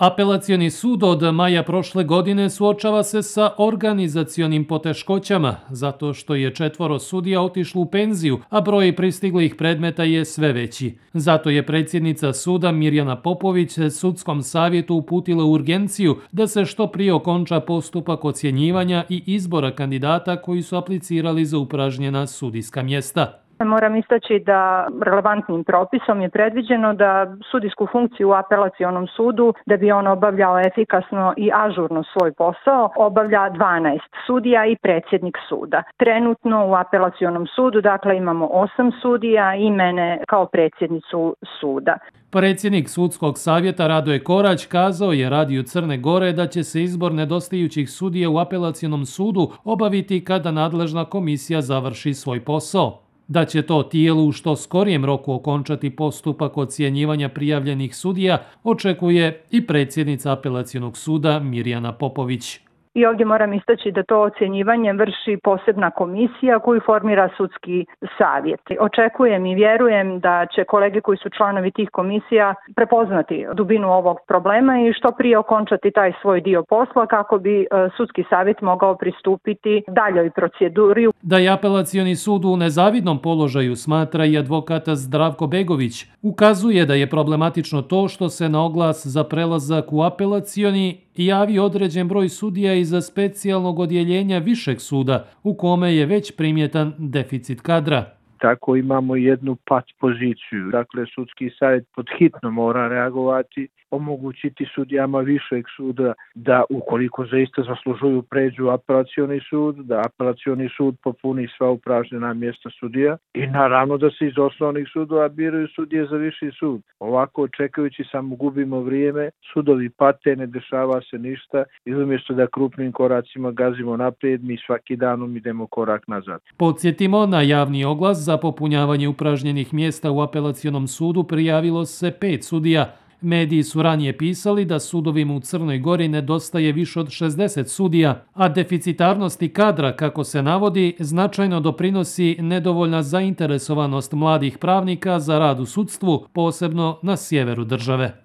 Apelacioni sud od maja prošle godine suočava se sa organizacionim poteškoćama, zato što je 4 sudija otišlo u penziju, a broj pristiglih predmeta je sve veći. Zato je predsjednica suda Mirjana Popović sudskom savjetu uputila urgenciju da se što prije okonča postupak ocjenjivanja i izbora kandidata koji su aplicirali za upražnjena sudijska mjesta. Moram istaći da relevantnim propisom je predviđeno da sudijsku funkciju u apelacionom sudu, da bi on obavljao efikasno i ažurno svoj posao, obavlja 12 sudija i predsjednik suda. Trenutno u apelacionom sudu, dakle, imamo 8 sudija i mene kao predsjednicu suda. Predsjednik sudskog savjeta Radoje Korać kazao je Radiju Crne Gore da će se izbor nedostajućih sudija u apelacionom sudu obaviti kada nadležna komisija završi svoj posao. Da će to tijelu u što skorijem roku okončati postupak ocjenjivanja prijavljenih sudija, očekuje i predsjednica apelacionog suda Mirjana Popović. I ovdje moram istaći da to ocjenjivanje vrši posebna komisija koju formira sudski savjet. Očekujem i vjerujem da će kolege koji su članovi tih komisija prepoznati dubinu ovog problema i što prije okončati taj svoj dio posla kako bi sudski savjet mogao pristupiti daljoj proceduri. Da je apelacioni sud u nezavidnom položaju smatra i advokat Zdravko Begović. Ukazuje da je problematično to što se na oglas za prelazak u apelacioni javio određen broj sudija iz specijalnog odjeljenja višeg suda u kome je već primjetan deficit kadra. Tako imamo jednu pat poziciju. Dakle, sudski savjet pod hitno mora reagovati, omogućiti sudijama višeg suda da ukoliko zaista zaslužuju pređu u apelacioni sud, da apelacioni sud popuni sva upražnjena mjesta sudija i naravno da se iz osnovnih sudova biraju sudije za viši sud. Ovako, čekajući samo gubimo vrijeme, sudovi pate, ne dešava se ništa i umjesto da krupnim koracima gazimo naprijed, mi svaki danom idemo korak nazad. Podsjetimo, na javni oglas za popunjavanje upražnjenih mjesta u apelacionom sudu prijavilo se 5 sudija. Mediji su ranije pisali da sudovima u Crnoj Gori nedostaje više od 60 sudija, a deficitarnosti kadra, kako se navodi, značajno doprinosi nedovoljna zainteresovanost mladih pravnika za rad u sudstvu, posebno na sjeveru države.